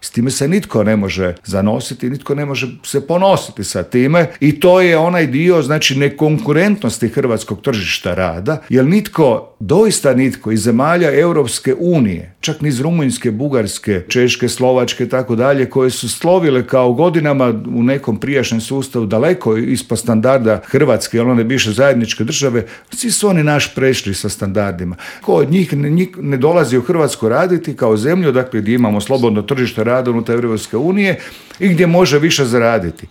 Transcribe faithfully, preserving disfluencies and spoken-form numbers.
S time se nitko ne može zanositi, nitko ne može se ponositi sa time i to je onaj dio, znači, nekonkurentnosti hrvatskog tržišta rada, jer nitko, doista nitko iz zemalja Europske unije, čak ni iz Rumunjske, Bugarske, Češke, Slovačke, tako dalje, koje su slovile kao godinama u nekom prijašnjem sustavu daleko ispod standarda Hrvatske, jer one bivše zajedničke države, svi su oni naš prešli sa standardima. Ko od njih ne, ne dolazi u Hrvatsku raditi kao zemlju, dakle, gdje imamo slobodno tržište rada unutar Europske unije i gdje može više zaraditi.